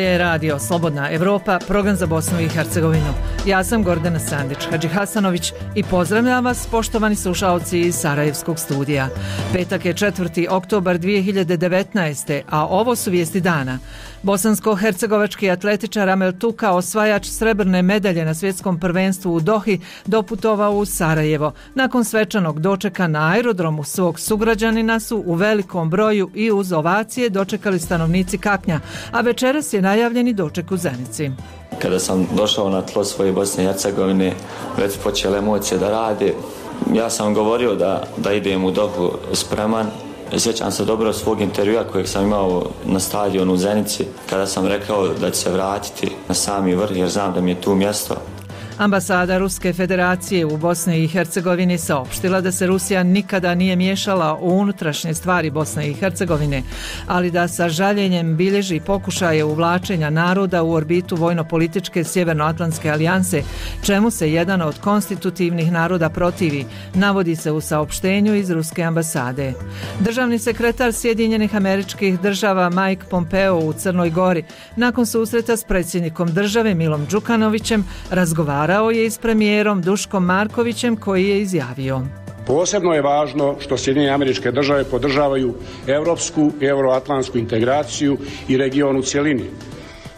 je radio Slobodna Evropa, program za Bosnu i Hercegovinu. Ja sam Gordana Sandić-Hadžihasanović i pozdravljam vas, poštovani slušaoci iz Sarajevskog studija. Petak je 4. oktobar 2019. a ovo su vijesti dana. Bosansko-hercegovački atletičar Amel Tuka, osvajač srebrne medalje na svjetskom prvenstvu u Dohi, doputovao u Sarajevo. Nakon svečanog dočeka na aerodromu svog sugrađanina su u velikom broju i uz ovacije dočekali stanovnici Kaknja, a večeras je najavljeni doček u Zenici. Kada sam došao na tlo svoje Bosne i Hercegovine, već počele emocije da rade. Ja sam govorio da idem u Dohu spreman. Sjećam se dobro svog intervjua kojeg sam imao na stadionu u Zenici, kada sam rekao da će se vratiti na sami vrh jer znam da mi je tu mjesto. Ambasada Ruske federacije u Bosni i Hercegovini saopštila da se Rusija nikada nije miješala u unutrašnje stvari Bosne i Hercegovine, ali da sa žaljenjem bilježi pokušaje uvlačenja naroda u orbitu vojno-političke Sjevernoatlantske alijanse, čemu se jedan od konstitutivnih naroda protivi, navodi se u saopštenju iz Ruske ambasade. Državni sekretar Sjedinjenih Američkih Država Mike Pompeo u Crnoj Gori nakon susreta s predsjednikom države Milom Đukanovićem razgovarao je i s premijerom Duškom Markovićem koji je izjavio: Posebno je važno što Sjedinjene Američke Države podržavaju europsku i euroatlantsku integraciju i region u cjelini.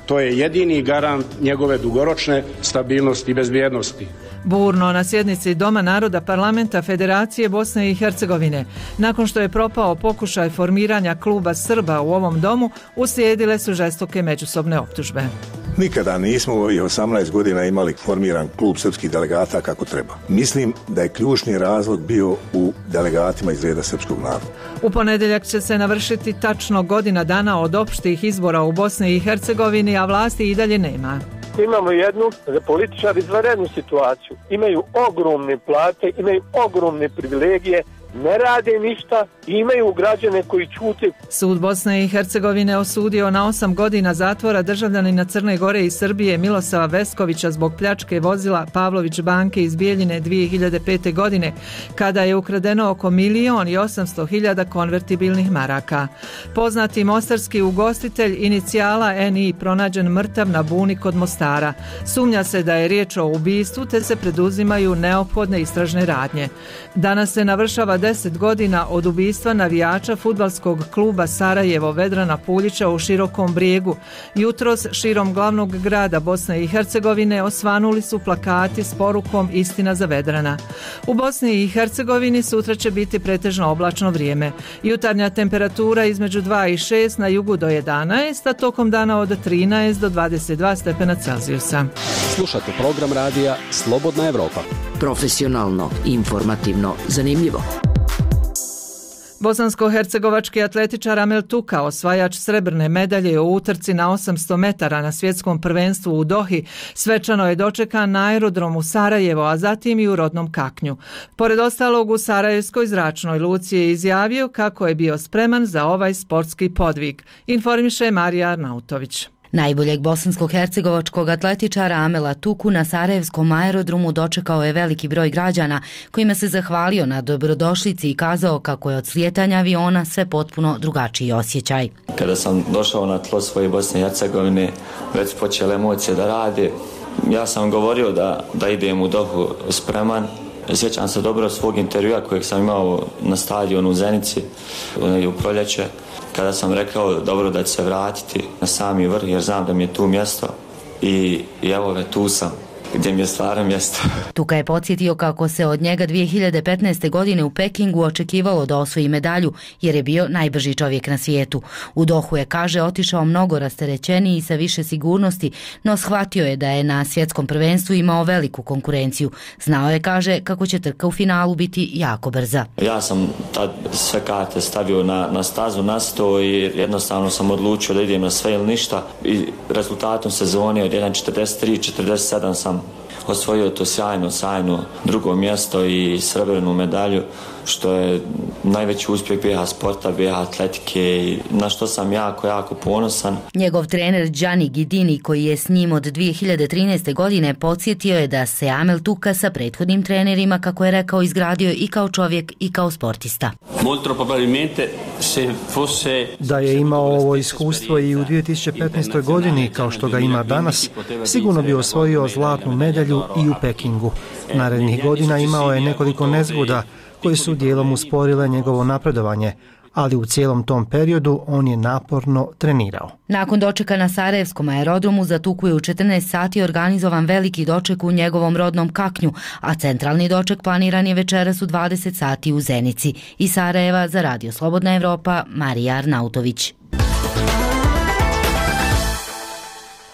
To je jedini garant njegove dugoročne stabilnosti i bezbjednosti. Burno na sjednici Doma naroda Parlamenta Federacije Bosne i Hercegovine. Nakon što je propao pokušaj formiranja kluba Srba u ovom domu, uslijedile su žestoke međusobne optužbe. Nikada nismo u ovih 18 godina imali formiran klub srpskih delegata kako treba. Mislim da je ključni razlog bio u delegatima iz reda srpskog naroda. U ponedjeljak će se navršiti tačno godina dana od opštih izbora u Bosni i Hercegovini, a vlasti i dalje nema. Imamo jednu za političar izvanrednu situaciju. Imaju ogromne plate, imaju ogromne privilegije, ne rade ništa i imaju građane koji ćute. Sud Bosne i Hercegovine osudio na 8 godina zatvora državljanina Crne Gore i Srbije Milosava Veskovića zbog pljačke vozila Pavlović banke iz Bijeljine 2005. godine, kada je ukradeno oko 1.800.000 konvertibilnih maraka. Poznati mostarski ugostitelj inicijala NI pronađen mrtav na buni kod Mostara. Sumnja se da je riječ o ubistvu te se preduzimaju neophodne istražne radnje. Danas se navršava 10 godina od ubistva navijača fudbalskog kluba Sarajevo Vedrana Puljića u Širokom Brijegu. Jutros širom glavnog grada Bosne i Hercegovine osvanuli su plakati s porukom Istina za Vedrana. U Bosni i Hercegovini sutra će biti pretežno oblačno vrijeme. Jutarnja temperatura između 2 i 6, na jugu do 11, a tokom dana od 13 do 22 stepena Celzijusa. Slušate program radija Slobodna Evropa. Profesionalno, informativno, zanimljivo. Bosansko-hercegovački atletičar Amel Tuka, osvajač srebrne medalje u utrci na 800 metara na svjetskom prvenstvu u Dohi, svečano je dočekan na aerodromu Sarajevo, a zatim i u rodnom Kaknju. Pored ostalog, u Sarajevskoj zračnoj luci je izjavio kako je bio spreman za ovaj sportski podvig. Informiše Marija Arnautović. Najboljeg bosansko-hercegovačkog atletičara Amela Tuku na Sarajevskom aerodromu dočekao je veliki broj građana kojima se zahvalio na dobrodošlici i kazao kako je od slijetanja aviona sve potpuno drugačiji osjećaj. Kada sam došao na tlo svoje Bosne i Hercegovine, već počele emocije da rade. Ja sam govorio da idem u Dohu spreman. Sjećam se dobro svog intervjua kojeg sam imao na stadionu u Zenici u proljeće, kada sam rekao dobro da će se vratiti na sami vrh jer znam da mi je tu mjesto i evo ga, tu sam gdje mi je stvarno mjesto. Tuka je podsjetio kako se od njega 2015. godine u Pekingu očekivalo da osvoji medalju jer je bio najbrži čovjek na svijetu. U Dohu je, kaže, otišao mnogo rasterećeniji i sa više sigurnosti, no shvatio je da je na svjetskom prvenstvu imao veliku konkurenciju. Znao je, kaže, kako će trka u finalu biti jako brza. Ja sam tad sve karte stavio na stazu, na sto i jednostavno sam odlučio da idem na sve ili ništa i rezultatom sezone od 1.43, 47 sam osvojio to sjajno drugo mjesto i srebrnu medalju, što je najveći uspjeh BiH sporta, BiH atletike i na što sam jako ponosan. Njegov trener Gianni Ghidini, koji je s njim od 2013. godine, podsjetio je da se Amel Tuka sa prethodnim trenerima, kako je rekao, izgradio i kao čovjek i kao sportista. Da je imao ovo iskustvo i u 2015. godini kao što ga ima danas, sigurno bi osvojio zlatnu medalju i u Pekingu. Narednih godina imao je nekoliko nezgoda koje su dijelom usporile njegovo napredovanje, ali u cijelom tom periodu on je naporno trenirao. Nakon dočeka na Sarajevskom aerodromu za Tuku je u 14 sati organizovan veliki doček u njegovom rodnom Kaknju, a centralni doček planiran je večeras u 20 sati u Zenici. Iz Sarajeva za Radio Slobodna Evropa, Marija Arnautović.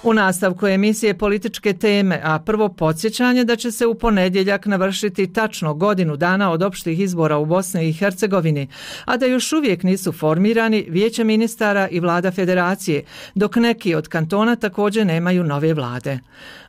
U nastavku emisije Političke teme, a prvo podsjećanje da će se u ponedjeljak navršiti tačno godinu dana od opštih izbora u Bosni i Hercegovini, a da još uvijek nisu formirani Vijeće ministara i vlada federacije, dok neki od kantona također nemaju nove vlade.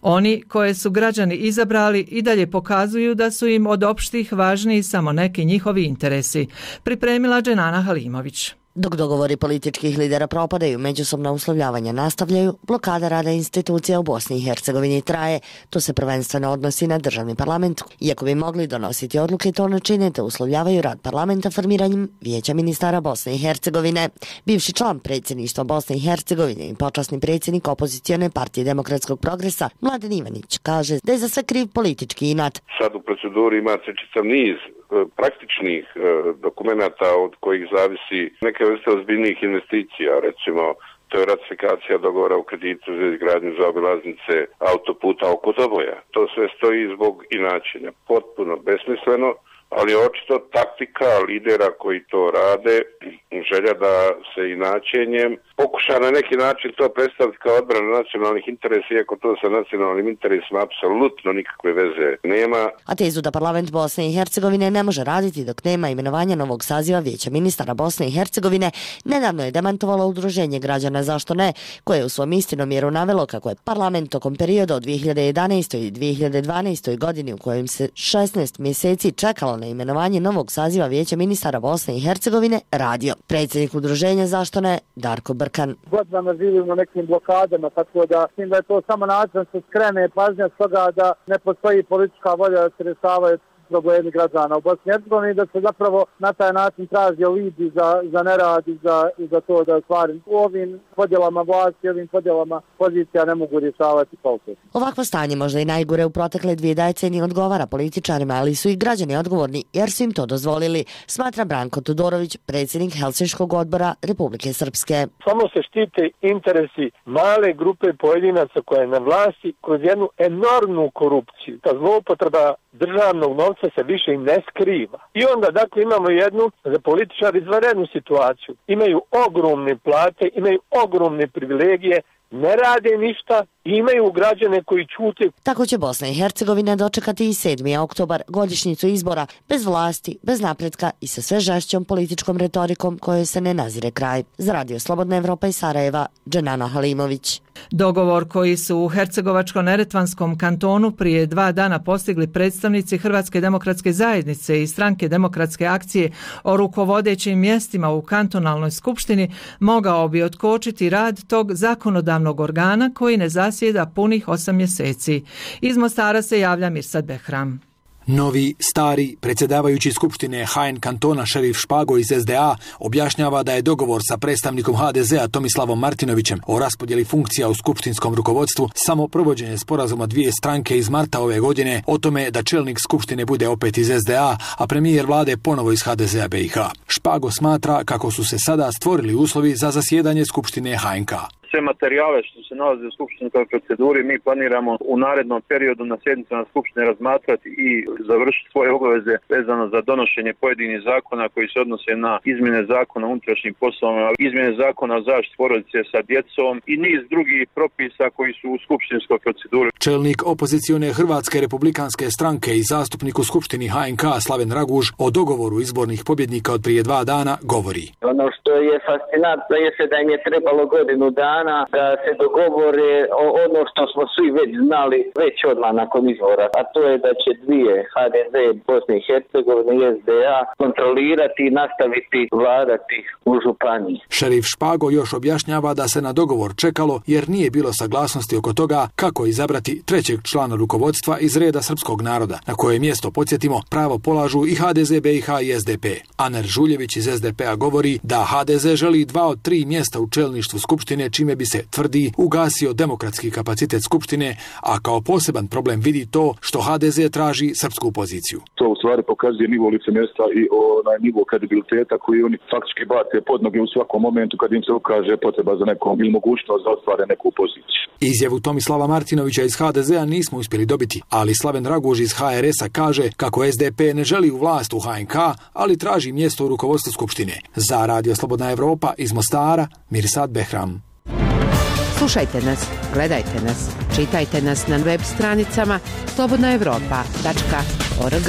Oni koje su građani izabrali i dalje pokazuju da su im od opštih važniji samo neki njihovi interesi, pripremila Dženana Halimović. Dok dogovori političkih lidera propadaju, međusobna uslovljavanja nastavljaju, blokada rada institucija u Bosni i Hercegovini traje. To se prvenstveno odnosi na državni parlament. Iako bi mogli donositi odluke, to ne čine, te uslovljavaju rad parlamenta formiranjem Vijeća ministara Bosne i Hercegovine. Bivši član predsjedništva Bosne i Hercegovine i počasni predsjednik opozicione partije Demokratskog progresa Mladen Ivanić kaže da je za sve kriv politički inat. Sad u proceduri ima čitav niz praktičnih dokumenata od kojih zavisi neke vrste ozbiljnih investicija, recimo to je ratifikacija dogovora u kreditu za izgradnju zaobilaznice autoputa oko Doboja. To sve stoji zbog inačenja, potpuno besmisleno, ali očito taktika lidera koji to rade, želja da se inačenjem pokuša na neki način to predstaviti kao odbranu nacionalnih interesa, iako to sa nacionalnim interesima apsolutno nikakve veze nema. A tezu da parlament Bosne i Hercegovine ne može raditi dok nema imenovanja novog saziva Vijeća ministara Bosne i Hercegovine, nedavno je demantovalo Udruženje građana Zašto ne, koje je u svom istinomjeru navelo kako je parlament tokom perioda od 2011. i 2012. godini u kojem se 16 mjeseci čekalo na imenovanje novog saziva Vijeća ministara Bosne i Hercegovine radio. Predsjednik Udruženja Zašto ne, Darko Brkan. Godinama živimo nekim blokadama, tako da mislim da je to samo način da se skrene pažnja s toga da ne postoji politička volja da se rješavaju problemi građana u Bosni i Hercegovini, da se zapravo na taj način traži alibi za nerad i za to da stvari u ovim podjelama vlasti, ovim podjelama pozicija ne mogu rješavati kvalitetno. Ovakvo stanje možda i najgore u protekle 2 decenije odgovara političarima, ali su i građani odgovorni jer su im to dozvolili, smatra Branko Todorović, predsjednik Helsinškog odbora Republike Srpske. Samo se štite interesi male grupe pojedinaca koja je na vlasti kroz jednu enormnu korupciju. Ta zloupotreba državnog novca se više i ne skriva. I onda dakle imamo jednu za političari izvanrednu situaciju. Imaju ogromne plate, imaju ogromne privilegije, ne rade ništa i imaju građane koji ćute. Tako će Bosna i Hercegovina dočekati i 7. oktobar, godišnjicu izbora, bez vlasti, bez napretka i sa sve žešćom političkom retorikom kojoj se ne nazire kraj. Za Radio Slobodna Evropa iz Sarajeva, Dženana Halimović. Dogovor koji su u Hercegovačko-Neretvanskom kantonu prije 2 dana postigli predstavnici Hrvatske demokratske zajednice i Stranke demokratske akcije o rukovodećim mjestima u kantonalnoj skupštini mogao bi otkočiti rad tog zakonodavnog organa koji ne zasjeda punih 8 mjeseci. Iz Mostara se javlja Mirsad Behram. Novi, stari, predsjedavajući skupštine HN kantona šerif Špago iz SDA objašnjava da je dogovor sa predstavnikom HDZ-a Tomislavom Martinovićem o raspodjeli funkcija u skupštinskom rukovodstvu samo provođenje sporazuma 2 stranke iz marta ove godine o tome da čelnik skupštine bude opet iz SDA, a premijer vlade ponovo iz HDZ-a BiH. Špago smatra kako su se sada stvorili uslovi za zasjedanje skupštine HNK. Sve materijale što se nalaze u skupštinskoj proceduri mi planiramo u narednom periodu na sjednicama skupštine razmatrati i završiti svoje obaveze vezano za donošenje pojedinih zakona koji se odnose na izmjene zakona o unutrašnjim poslovima, izmjene zakona o zaštiti porodice sa djecom i niz drugih propisa koji su u skupštinskoj proceduri. Čelnik opozicione Hrvatske republikanske stranke i zastupnik u skupštini HNK Slaven Raguž o dogovoru izbornih pobjednika od prije 2 dana govori. Ono što je fascinantno je da im je trebalo godinu dana dana da se dogovore ono što smo svi već znali već odmah nakon izbora, a to je da će dvije HDZ, Bosne i Hercegovine i SDA kontrolirati i nastaviti vladati u županiji. Šerif Špago još objašnjava da se na dogovor čekalo jer nije bilo saglasnosti oko toga kako izabrati trećeg člana rukovodstva iz reda srpskog naroda, na koje mjesto, podsjetimo, pravo polažu i HDZ BiH i SDP. Aner Žuljević iz SDP-a govori da HDZ želi 2 od 3 mjesta u čelništvu Skupštine, čime bi se, tvrdi, ugasio demokratski kapacitet Skupštine, a kao poseban problem vidi to što HDZ traži srpsku poziciju. To u stvari pokazuje nivo licemjerstva i onaj nivo kredibiliteta koji oni faktički bace pod noge u svakom momentu kad im se ukaže potreba za nekom ili mogućnost da ostvare neku poziciju. Izjavu Tomislava Martinovića iz HDZ-a nismo uspjeli dobiti, ali Slaven Raguž iz HRS-a kaže kako SDP ne želi u vlast u HNK, ali traži mjesto u rukovodstvu Skupštine. Za Radio Slobodna Evropa iz Mostara, Mirsad Behram. Slušajte nas, gledajte nas, čitajte nas na web stranicama slobodnaevropa.org.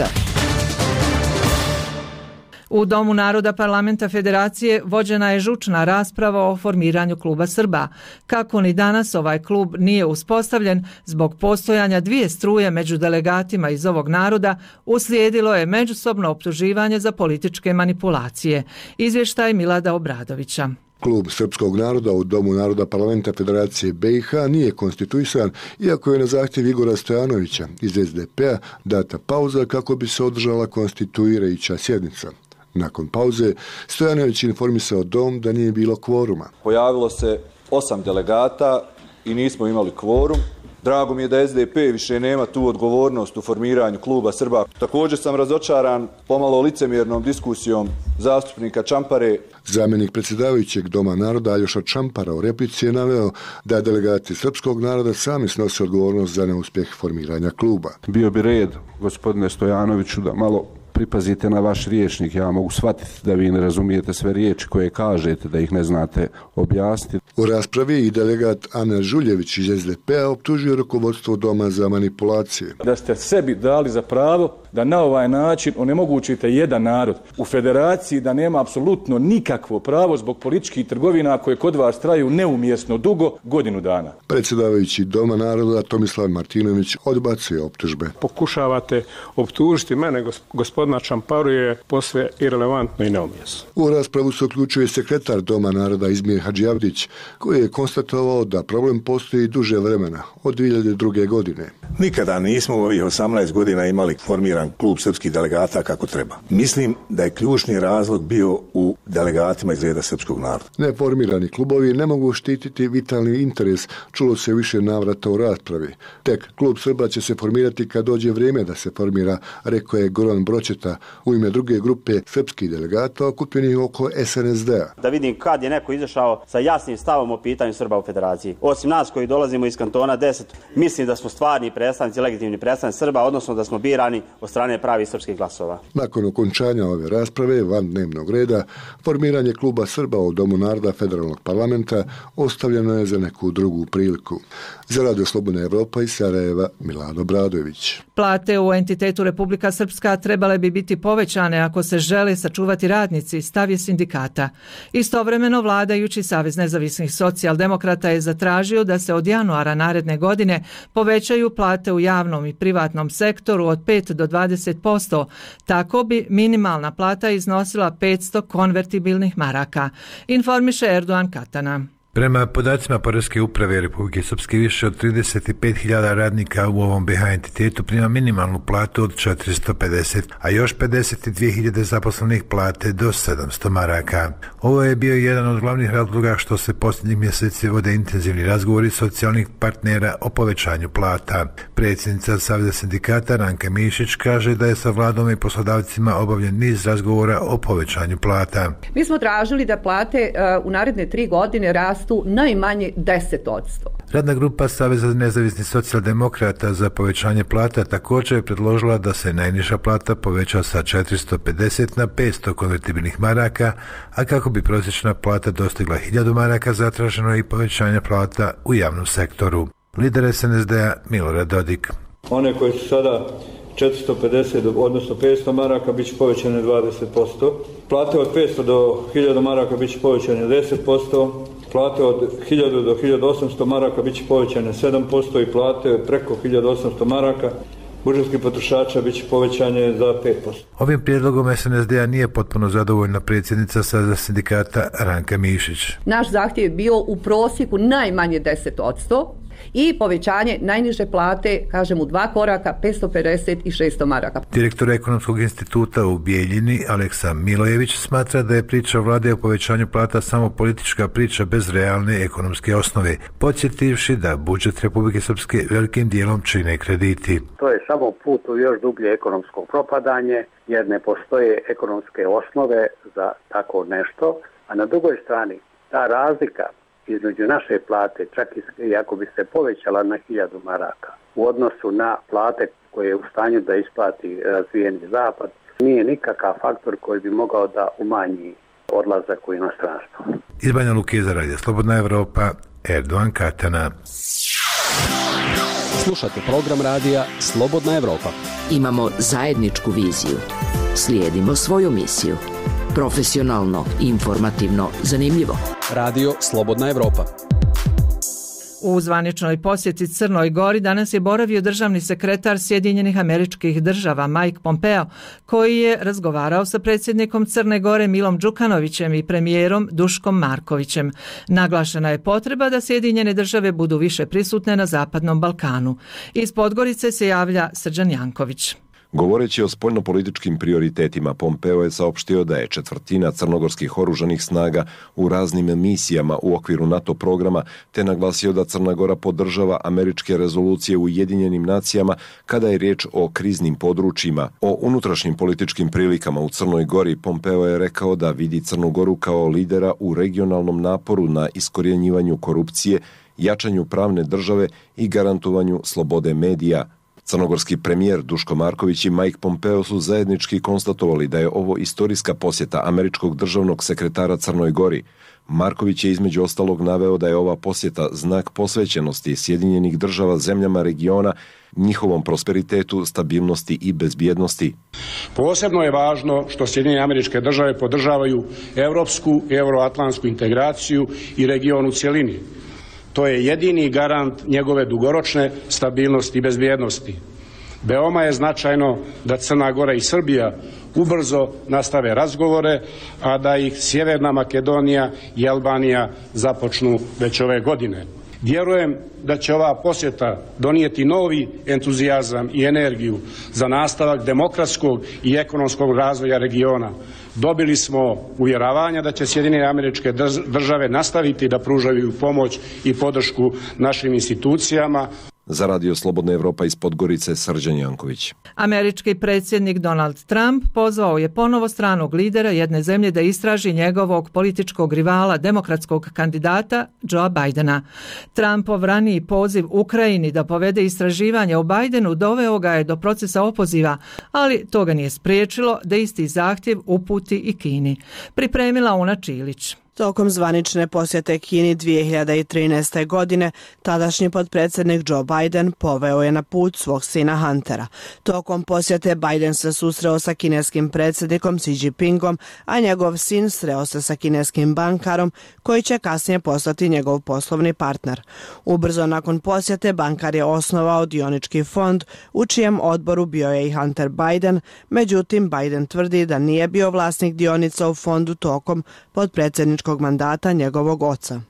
U Domu naroda Parlamenta Federacije vođena je žučna rasprava o formiranju kluba Srba. Kako ni danas ovaj klub nije uspostavljen, zbog postojanja dvije struje među delegatima iz ovog naroda, uslijedilo je međusobno optuživanje za političke manipulacije. Izvještaj Milada Obradovića. Klub srpskog naroda u Domu naroda Parlamenta Federacije BiH nije konstituisan, iako je na zahtjev Igora Stojanovića iz SDP-a data pauza kako bi se održala konstituirajuća sjednica. Nakon pauze, Stojanović informisao Dom da nije bilo kvoruma. Pojavilo se 8 delegata i nismo imali kvorum. Drago mi je da SDP više nema tu odgovornost u formiranju kluba Srba. Također sam razočaran pomalo licemjernom diskusijom zastupnika Čampare. Zamjenik predsjedavajućeg Doma naroda Aljoša Čampara u replici je naveo da delegati srpskog naroda sami snose odgovornost za neuspjeh formiranja kluba. Bio bi red, gospodine Stojanoviću, da malo pripazite na vaš rječnik. Ja mogu shvatiti da vi ne razumijete sve riječi koje kažete, da ih ne znate objasniti. U raspravi i delegat Aner Žuljević iz SDP-a optužio rukovodstvo Doma za manipulacije. Da ste sebi dali za pravo da na ovaj način onemogućite jedan narod u federaciji, da nema apsolutno nikakvo pravo zbog političkih trgovina koje kod vas traju neumjesno dugo, godinu dana. Predsjedavajući Doma naroda Tomislav Martinović odbacuje optužbe. Pokušavate optužiti mene, gospodina Čamparu, je posve irelevantno i neumjesno. U raspravu se uključuje sekretar Doma naroda Izmir Hadžijavdić, koji je konstatovao da problem postoji duže vremena, od 2002. godine. Nikada nismo u ovih 18 godina imali formiran klub srpskih delegata kako treba. Mislim da je ključni razlog bio u delegatima iz reda srpskog naroda. Neformirani klubovi ne mogu štititi vitalni interes, čulo se više navrata u raspravi. Tek klub Srba će se formirati kad dođe vrijeme da se formira, rekao je Goran Bročeta u ime druge grupe srpskih delegata okupljenih oko SNSD-a. Da vidim kad je neko izašao sa jasnim stavom o pitanju Srba u federaciji. Osim nas koji dolazimo iz kantona 10, mislim da smo stvarni predstavnici, legitimni predstavnici Srba, odnosno da smo birani od strane pravih srpskih glasova. Nakon okončanja ove rasprave van dnevnog reda, formiranje kluba Srba u Domu naroda Federalnog parlamenta ostavljeno je za neku drugu priliku. Za Radio Slobodna Evropa iz Sarajeva, Milano Obradović. Plate u entitetu Republika Srpska trebale bi biti povećane ako se žele sačuvati radnici, stav je sindikata. Istovremeno vladajući Savez nezavisnih socijaldemokrata je zatražio da se od januara naredne godine povećaju plate u javnom i privatnom sektoru od 5 do 20%. Tako bi minimalna plata iznosila 500 konvertibilnih maraka, informiše Erdogan Katana. Prema podacima Poreske uprave Republike Srpske, više od 35.000 radnika u ovom BiH entitetu prima minimalnu platu od 450, a još 52.000 zaposlenih plate do 700 maraka. Ovo je bio jedan od glavnih razloga što se posljednjih mjeseci vode intenzivni razgovori socijalnih partnera o povećanju plata. Predsjednica Saveza sindikata Ranka Mišić kaže da je sa vladom i poslodavcima obavljen niz razgovora o povećanju plata. Mi smo tražili da plate u naredne 3 godine rastu najmanje 10%. Radna grupa Saveza nezavisnih socijaldemokrata za povećanje plata također je predložila da se najniža plata poveća sa 450 na 500 konvertibilnih maraka, a kako bi prosječna plata dostigla 1000 maraka, zatraženo je i povećanje plata u javnom sektoru. Lider SNSD-a Milorad Dodik. One koje su sada 450 odnosno 500 maraka bit će povećane 20%. Plate od 500 do 1000 maraka bit će povećane 10%. Plate od 1000 do 1800 maraka bit će povećane 7% i plate preko 1800 maraka budžetskih potrošača bit će povećanje za 5%. Ovim prijedlogom SNSD-a nije potpuno zadovoljna predsjednica Saveza sindikata Ranka Mišić. Naš zahtjev je bio u prosjeku najmanje 10% i povećanje najniže plate, kažem u 2 koraka, 550 i 600 maraka. Direktor Ekonomskog instituta u Bijeljini, Aleksa Milojević, smatra da je priča vlade o povećanju plata samo politička priča bez realne ekonomske osnove, podsjetivši da budžet Republike Srpske velikim dijelom čine krediti. To je samo put u još dublje ekonomsko propadanje, jer ne postoje ekonomske osnove za tako nešto, a na drugoj strani ta razlika između naše plate, čak i ako bi se povećala na 1000 maraka u odnosu na plate koje je u stanju da isplati razvijeni zapad, nije nikakav faktor koji bi mogao da umanji odlazak u inostranstvo. Iz Banja Luke za Radio Slobodna Evropa, Erdogan Katana. Slušate program radija Slobodna Evropa. Imamo zajedničku viziju. Slijedimo svoju misiju. Profesionalno, informativno, zanimljivo. Radio Slobodna Evropa. U zvaničnoj posjeti Crnoj Gori danas je boravio državni sekretar Sjedinjenih Američkih Država Mike Pompeo, koji je razgovarao sa predsjednikom Crne Gore Milom Đukanovićem i premijerom Duškom Markovićem. Naglašena je potreba da Sjedinjene Države budu više prisutne na Zapadnom Balkanu. Iz Podgorice se javlja Srđan Janković. Govoreći o spoljnopolitičkim prioritetima, Pompeo je saopštio da je 1/4 crnogorskih oružanih snaga u raznim misijama u okviru NATO programa, te naglasio da Crna Gora podržava američke rezolucije u Ujedinjenim nacijama kada je riječ o kriznim područjima. O unutrašnjim političkim prilikama u Crnoj Gori Pompeo je rekao da vidi Crnu Goru kao lidera u regionalnom naporu na iskorjenjivanju korupcije, jačanju pravne države i garantovanju slobode medija. Crnogorski premijer Duško Marković i Mike Pompeo su zajednički konstatovali da je ovo istorijska posjeta američkog državnog sekretara Crnoj Gori. Marković je između ostalog naveo da je ova posjeta znak posvećenosti Sjedinjenih Država zemljama regiona, njihovom prosperitetu, stabilnosti i bezbjednosti. Posebno je važno što Sjedinjene Američke Države podržavaju evropsku i euroatlantsku integraciju i region u cjelini. To je jedini garant njegove dugoročne stabilnosti i bezbjednosti. Veoma je značajno da Crna Gora i Srbija ubrzo nastave razgovore, a da ih Sjeverna Makedonija i Albanija započnu već ove godine. Vjerujem da će ova posjeta donijeti novi entuzijazam i energiju za nastavak demokratskog i ekonomskog razvoja regiona. Dobili smo uvjeravanja da će Sjedinjene Američke Države nastaviti da pružaju pomoć i podršku našim institucijama. Za Radio Slobodna Evropa iz Podgorice, Srđan Janković. Američki predsjednik Donald Trump pozvao je ponovo stranog lidera jedne zemlje da istraži njegovog političkog rivala, demokratskog kandidata Joea Bidena. Trumpov raniji poziv Ukrajini da povede istraživanje o Bidenu doveo ga je do procesa opoziva, ali to ga nije spriječilo da isti zahtjev uputi i Kini. Pripremila Una Čilić. Tokom zvanične posjete Kini 2013. godine, tadašnji potpredsjednik Joe Biden poveo je na put svog sina Huntera. Tokom posjete Biden se susreo sa kineskim predsjednikom Xi Jinpingom, a njegov sin sreo se sa kineskim bankarom koji će kasnije postati njegov poslovni partner. Ubrzo nakon posjete bankar je osnovao dionički fond u čijem odboru bio je i Hunter Biden, međutim Biden tvrdi da nije bio vlasnik dionica u fondu tokom potpredsjedničkog mandata njegovog oca.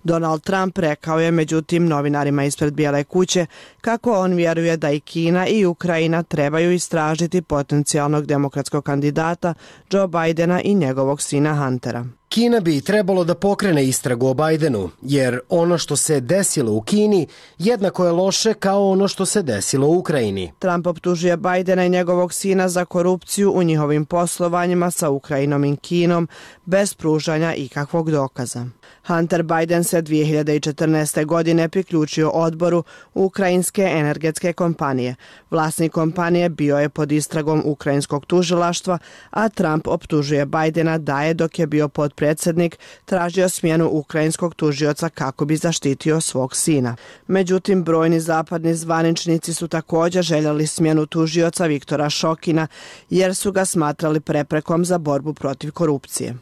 Donald Trump rekao je međutim novinarima ispred Bijele kuće kako on vjeruje da i Kina i Ukrajina trebaju istražiti potencijalnog demokratskog kandidata Joe Bidena i njegovog sina Huntera. Kina bi trebalo da pokrene istragu o Bidenu, jer ono što se desilo u Kini jednako je loše kao ono što se desilo u Ukrajini. Trump optužuje Bidena i njegovog sina za korupciju u njihovim poslovanjima sa Ukrajinom i Kinom bez pružanja ikakvog dokaza. Hunter Biden se 2014. godine priključio odboru ukrajinske energetske kompanije. Vlasnik kompanije bio je pod istragom ukrajinskog tužilaštva, a Trump optužuje Bidena da je dok je bio potpredsjednik tražio smjenu ukrajinskog tužioca kako bi zaštitio svog sina. Međutim, brojni zapadni zvaničnici su također željeli smjenu tužioca Viktora Šokina jer su ga smatrali preprekom za borbu protiv korupcije.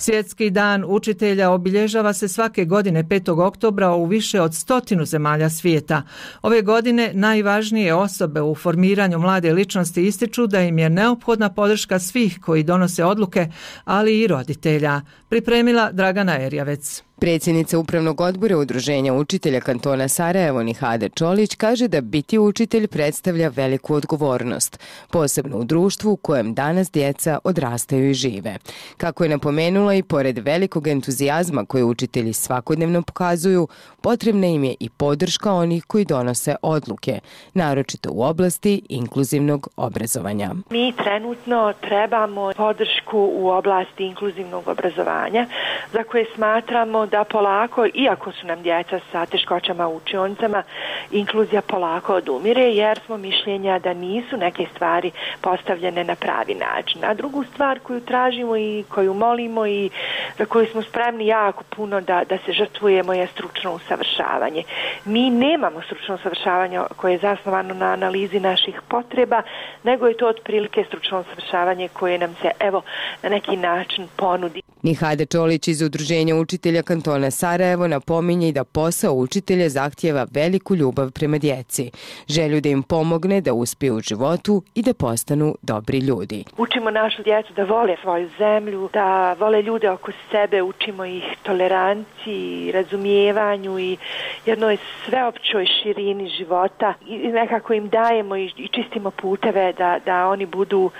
Svjetski dan učitelja obilježava se svake godine 5. oktobra u više od 100 zemalja svijeta. Ove godine najvažnije osobe u formiranju mlade ličnosti ističu da im je neophodna podrška svih koji donose odluke, ali i roditelja. Pripremila Dragana Erjavec. Predsjednica Upravnog odbora Udruženja učitelja kantona Sarajevo Nihade Čolić kaže da biti učitelj predstavlja veliku odgovornost, posebno u društvu u kojem danas djeca odrastaju i žive. Kako je napomenula, i pored velikog entuzijazma koje učitelji svakodnevno pokazuju, potrebna im je i podrška onih koji donose odluke, naročito u oblasti inkluzivnog obrazovanja. Mi trenutno trebamo podršku u oblasti inkluzivnog obrazovanja, za koje smatramo da polako, iako su nam djeca sa teškoćama u učionicama, inkluzija polako odumire, jer smo mišljenja da nisu neke stvari postavljene na pravi način. A drugu stvar koju tražimo i koju molimo i za koju smo spremni jako puno da se žrtvujemo je stručno usavršavanje. Mi nemamo stručno usavršavanje koje je zasnovano na analizi naših potreba, nego je to otprilike stručno usavršavanje koje nam se na neki način ponudi. Nihade Čolić iz Udruženja učitelja kantona Sarajevo napominje i da posao učitelja zahtijeva veliku ljubav prema djeci, želju da im pomogne da uspiju u životu i da postanu dobri ljudi. Učimo našu djecu da vole svoju zemlju, da vole ljude oko sebe, učimo ih toleranciji, razumijevanju i jednoj sveopćoj širini života i nekako im dajemo i čistimo puteve da oni budu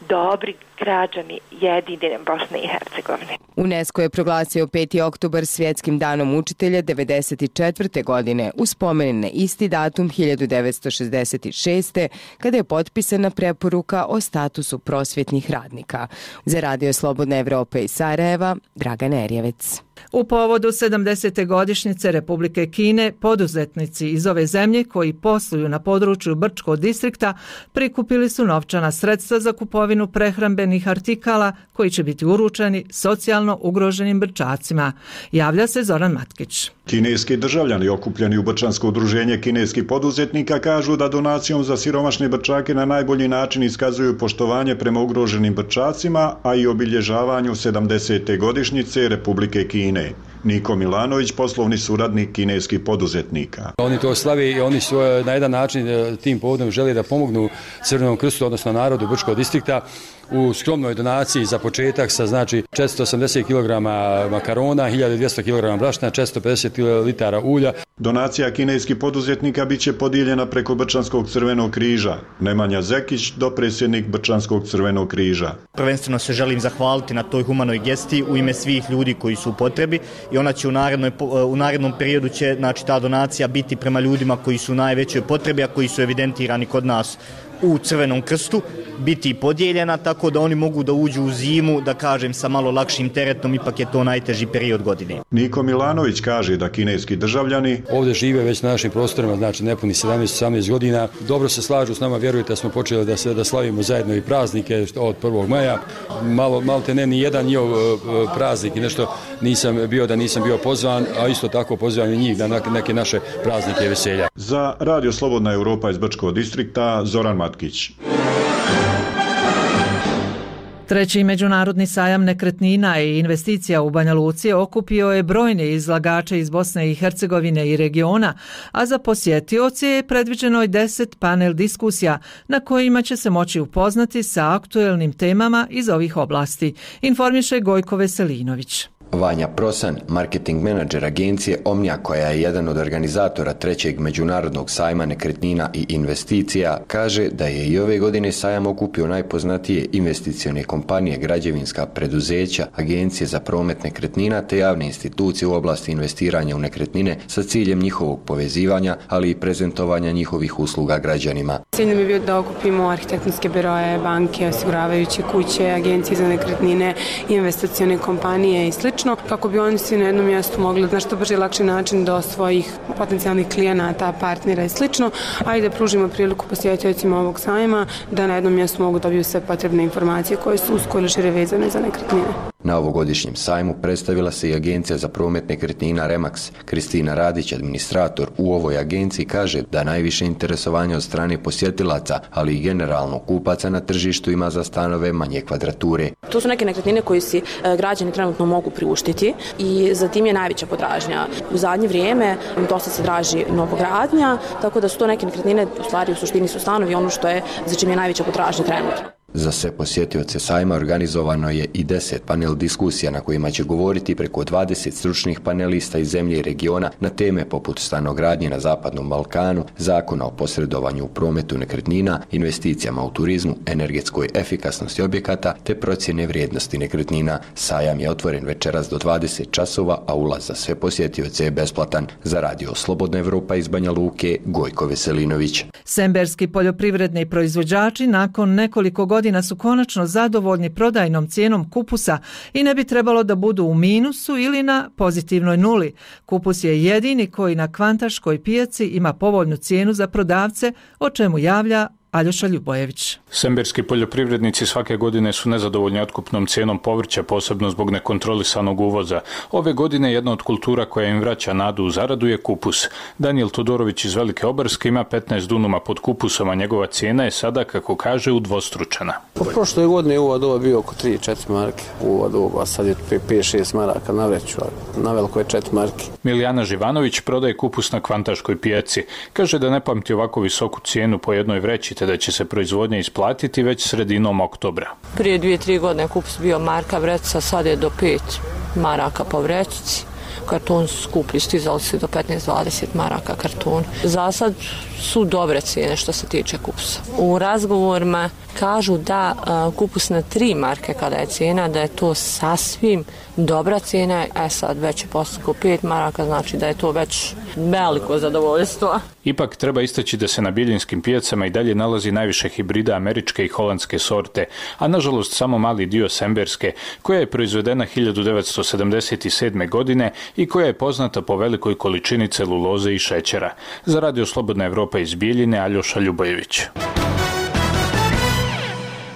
dobri građani jedine Bosne i Hercegovine. UNESCO je proglasio 5. oktobar svjetskim danom učitelja 1994. godine uz spomen na isti datum 1966. kada je potpisana preporuka o statusu prosvjetnih radnika. Za Radio Slobodna Evropa iz Sarajeva, Dragana Erjavec. U povodu 70. godišnjice Republike Kine, poduzetnici iz ove zemlje koji posluju na području Brčkog distrikta prikupili su novčana sredstva za kupovinu prehrambenih artikala koji će biti uručeni socijalno ugroženim Brčacima. Javlja se Zoran Matkić. Kineski državljani okupljeni u Brčansko udruženje kineskih poduzetnika kažu da donacijom za siromašne Brčake na najbolji način iskazuju poštovanje prema ugroženim Brčacima, a i obilježavanju 70. godišnjice Republike Kine. Niko Milanović, poslovni suradnik kineskih poduzetnika. Oni to slave i oni su na jedan način tim povodom žele da pomognu Crvenom krstu, odnosno narodu Brčkog distrikta, u skromnoj donaciji za početak sa 480 kg makarona, 1200 kg brašna, 450 litara ulja. Donacija kineskih poduzetnika biće podijeljena preko Brčanskog crvenog križa. Nemanja Zekić, dopredsjednik Brčanskog crvenog križa. Prvenstveno se želim zahvaliti na toj humanoj gesti u ime svih ljudi koji su u potrebi i ona će u narednom periodu će ta donacija biti prema ljudima koji su u najvećoj potrebi, a koji su evidentirani kod nas u Crvenom krstu, biti podijeljena tako da oni mogu da uđu u zimu, da kažem, sa malo lakšim teretom, ipak je to najteži period godine. Niko Milanović kaže da kineski državljani ovdje žive već na našim prostorima, znači nepuni 17-18 godina. Dobro se slažu s nama, vjerujte da smo počeli da slavimo zajedno i praznike od 1. maja. Malo te ne, ni jedan njihov praznik i nešto nisam bio pozvan, a isto tako pozivam i njih na neke naše praznike i veselja. Za Radio Slobodna Evropa iz Brčkog distrikta, Zoran Matkić. Treći međunarodni sajam nekretnina i investicija u Banja Luci okupio je brojne izlagače iz Bosne i Hercegovine i regiona, a za posjetioce je predviđeno 10 panel diskusija na kojima će se moći upoznati sa aktuelnim temama iz ovih oblasti, informiše Gojko Veselinović. Vanja Prosan, marketing menadžer agencije Omnia, koja je jedan od organizatora trećeg međunarodnog sajma nekretnina i investicija, kaže da je i ove godine sajam okupio najpoznatije investicione kompanije, građevinska preduzeća, agencije za promet nekretnina te javne institucije u oblasti investiranja u nekretnine sa ciljem njihovog povezivanja, ali i prezentovanja njihovih usluga građanima. Cilj nam je bio da okupimo arhitektonske biroje, banke, osiguravajuće kuće, agencije za nekretnine, investicione kompanije i slično, kako bi oni svi na jednom mjestu mogli na što brže i lakši način do svojih potencijalnih klijenata, partnera i slično, a i da pružimo priliku posjetiteljima ovog sajma da na jednom mjestu mogu dobiju sve potrebne informacije koje su usko ili šire vezane za nekretnine. Na ovogodišnjem sajmu predstavila se i Agencija za promet nekretnina Remax. Kristina Radić, administrator u ovoj agenciji, kaže da najviše interesovanja od strane posjetilaca, ali i generalno kupaca na tržištu ima za stanove manje kvadrature. To su neke nekretnine koje si građani trenutno mogu priuštiti i za tim je najveća potražnja. U zadnje vrijeme dosta se traži novogradnja, tako da su to neke nekretnine, u stvari u suštini su stanovi, ono što je za čim je najveća potražnja trenutno. Za sve posjetioce sajma organizovano je i 10 panel diskusija na kojima će govoriti preko 20 stručnih panelista iz zemlje i regiona na teme poput stanogradnje na Zapadnom Balkanu, zakona o posredovanju u prometu nekretnina, investicijama u turizmu, energetskoj efikasnosti objekata te procjene vrijednosti nekretnina. Sajam je otvoren večeras do 20 časova, a ulaz za sve posjetioce je besplatan. Za Radio Slobodna Evropa iz Banja Luke, Gojko Veselinović. Semberski poljoprivredni proizvođači nakon nekoliko godina su konačno zadovoljni prodajnom cijenom kupusa i ne bi trebalo da budu u minusu ili na pozitivnoj nuli. Kupus je jedini koji na kvantaškoj pijaci ima povoljnu cijenu za prodavce, o čemu javlja Aljoša Ljubojević. Semberski poljoprivrednici svake godine su nezadovoljni otkupnom cijenom povrća, posebno zbog nekontrolisanog uvoza. Ove godine jedna od kultura koja im vraća nadu u zaradu je kupus. Danijel Todorović iz Velike Obarske ima 15 dunuma pod kupusom, a njegova cijena je sada, kako kaže, udvostručena. Po prošle godine uvod ovo bio oko 3-4 marke. Uvod ovo, a sad je 5-6 maraka na vreću, a na veliko je 4 marke. Milijana Živanović prodaje kupus na kvantaškoj pijaci. Kaže da ne pamti ovako visoku cijenu po jednoj vreći, da će se proizvodnja isplatiti već sredinom oktobra. Prije 2-3 godine kupus bio marka vreća, sad je do 5 maraka po vrećici. Karton su skuplji, stizali se do 15-20 maraka karton. Za sad su dobre cijene što se tiče kupusa. U razgovorima kažu da kupus na 3 marke kada je cijena, da je to sasvim dobra cijena, sad već je postako 5 maraka, znači da je to već veliko zadovoljstvo. Ipak treba istaći da se na biljinskim pijacama i dalje nalazi najviše hibrida američke i holandske sorte, a nažalost samo mali dio semberske, koja je proizvedena 1977. godine i koja je poznata po velikoj količini celuloze i šećera. Za Radio Slobodna Evropa iz Bijeljine, Aljoša Ljubojević.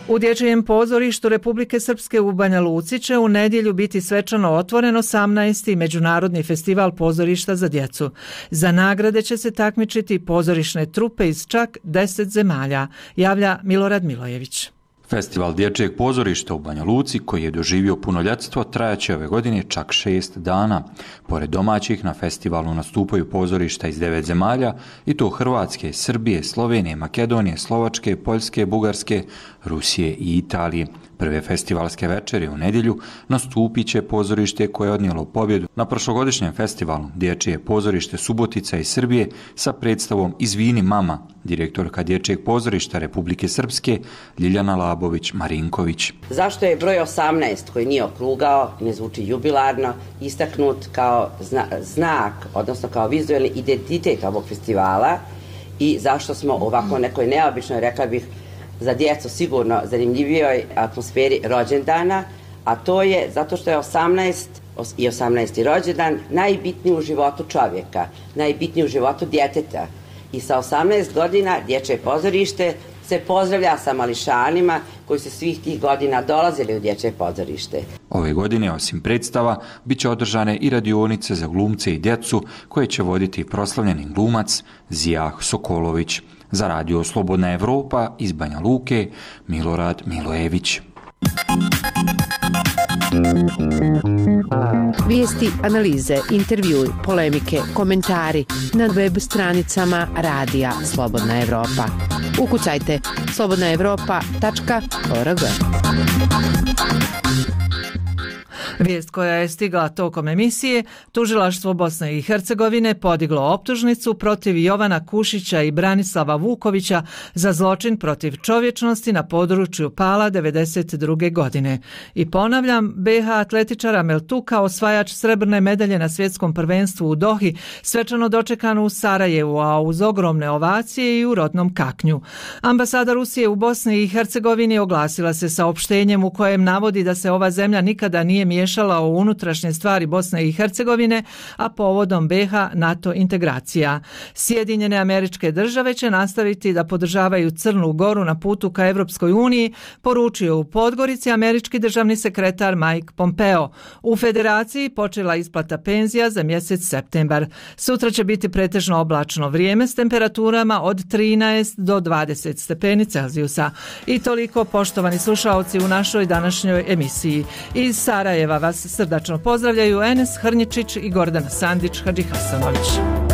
U Dječjem pozorištu Republike Srpske u Banja Luci će u nedjelju biti svečano otvoren 18. Međunarodni festival pozorišta za djecu. Za nagrade će se takmičiti pozorišne trupe iz čak 10 zemalja, javlja Milorad Milojević. Festival dječjeg pozorišta u Banja Luci, koji je doživio punoljetstvo, trajaće ove godine čak 6 dana. Pored domaćih, na festivalu nastupaju pozorišta iz 9 zemalja, i to Hrvatske, Srbije, Slovenije, Makedonije, Slovačke, Poljske, Bugarske, Rusije i Italije. Prve festivalske večeri u nedjelju nastupit će pozorište koje je odnijelo pobjedu na prošlogodišnjem festivalu Dječje pozorište Subotica iz Srbije sa predstavom Izvini mama, direktorka Dječjeg pozorišta Republike Srpske Ljiljana Labović-Marinković. Zašto je broj 18 koji nije okrugao, ne zvuči jubilarno, istaknut kao znak, odnosno kao vizualni identitet ovog festivala i zašto smo ovako nekoj neobičnoj, rekla bih, za djecu sigurno zanimljivijoj atmosferi rođendana, a to je zato što je 18 i 18. rođendan najbitniji u životu čovjeka, najbitniji u životu djeteta. I sa 18 godina Dječje pozorište se pozdravlja sa mališanima koji su svih tih godina dolazili u Dječje pozorište. Ove godine, osim predstava, bit će održane i radionice za glumce i djecu koje će voditi proslavljeni glumac Zijah Sokolović. Za Radio Slobodna Evropa iz Banja Luke, Milorad Milojević. Vijesti, analize, intervjui, polemike, komentari na web stranicama Radija Slobodna Evropa. Ukucajte slobodnaevropa.org. Vijest koja je stigla tokom emisije, tužilaštvo Bosne i Hercegovine podiglo optužnicu protiv Jovana Kušića i Branislava Vukovića za zločin protiv čovječnosti na području Pala 1992. godine. I ponavljam, BH atletičar Amel Tuka, osvajač srebrne medalje na svjetskom prvenstvu u Dohi, svečano dočekan u Sarajevu, a uz ogromne ovacije i u rodnom Kaknju. Ambasada Rusije u Bosni i Hercegovini oglasila se saopštenjem u kojem navodi da se ova zemlja nikada nije miješala miješala u unutrašnje stvari Bosne i Hercegovine, a povodom BiH NATO integracija. Sjedinjene Američke Države će nastaviti da podržavaju Crnu Goru na putu ka Evropskoj uniji, poručio u Podgorici američki državni sekretar Mike Pompeo. U Federaciji počela isplata penzija za mjesec septembar. Sutra će biti pretežno oblačno vrijeme s temperaturama od 13 do 20 stepeni Celzijusa. I toliko, poštovani slušaoci, u našoj današnjoj emisiji. Iz Sarajeva vas srdačno pozdravljaju Enes Hrnjičić i Gordana Sandić Hadžihasanović.